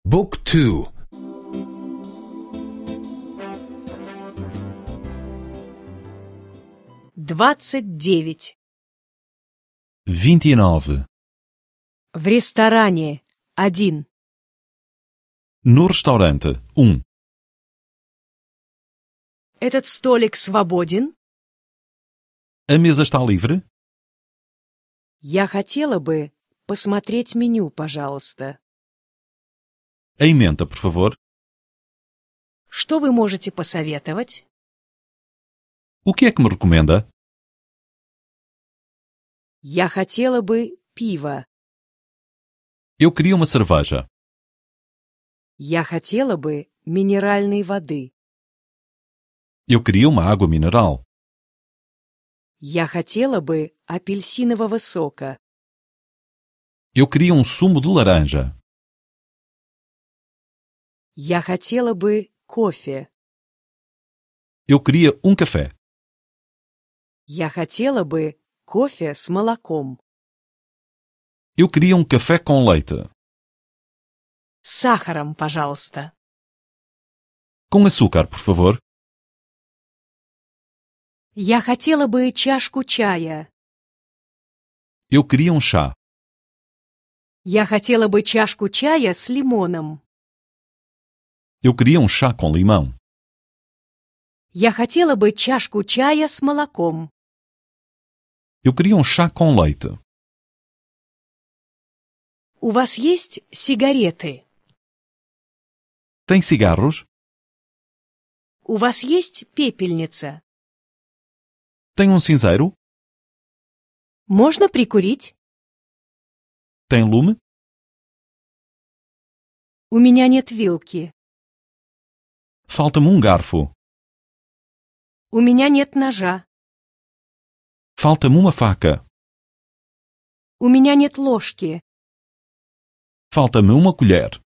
Book 2. 29. 29. В ресторане 1. No restaurante 1. Этот столик свободен? A mesa está livre? Я хотела бы посмотреть меню, пожалуйста. A ementa, por favor. Что вы можете посоветовать? O que é que me recomenda? Я хотела бы пиво. Eu queria uma cerveja. Я хотела бы минеральной воды. Eu queria uma água mineral. Я хотела бы апельсинового сока. Eu queria um sumo de laranja. Я хотела бы кофе. Eu queria um café. Я хотела бы кофе с молоком. Eu queria um café com leite. С сахаром, пожалуйста. Com açúcar, por favor. Я хотела бы чашку чая. Eu queria um chá. Я хотела бы чашку чая с лимоном. Eu queria um chá com limão. Я хотела бы чашку чая с молоком. Eu queria um chá com leite. У вас есть сигареты? Tem cigarros? У вас есть пепельница? Tem um cinzeiro? Можно прикурить? Tem lume? У меня нет вилки. Falta-me um garfo. У меня нет ножа. Falta-me uma faca. У меня нет ложки. Falta-me uma colher.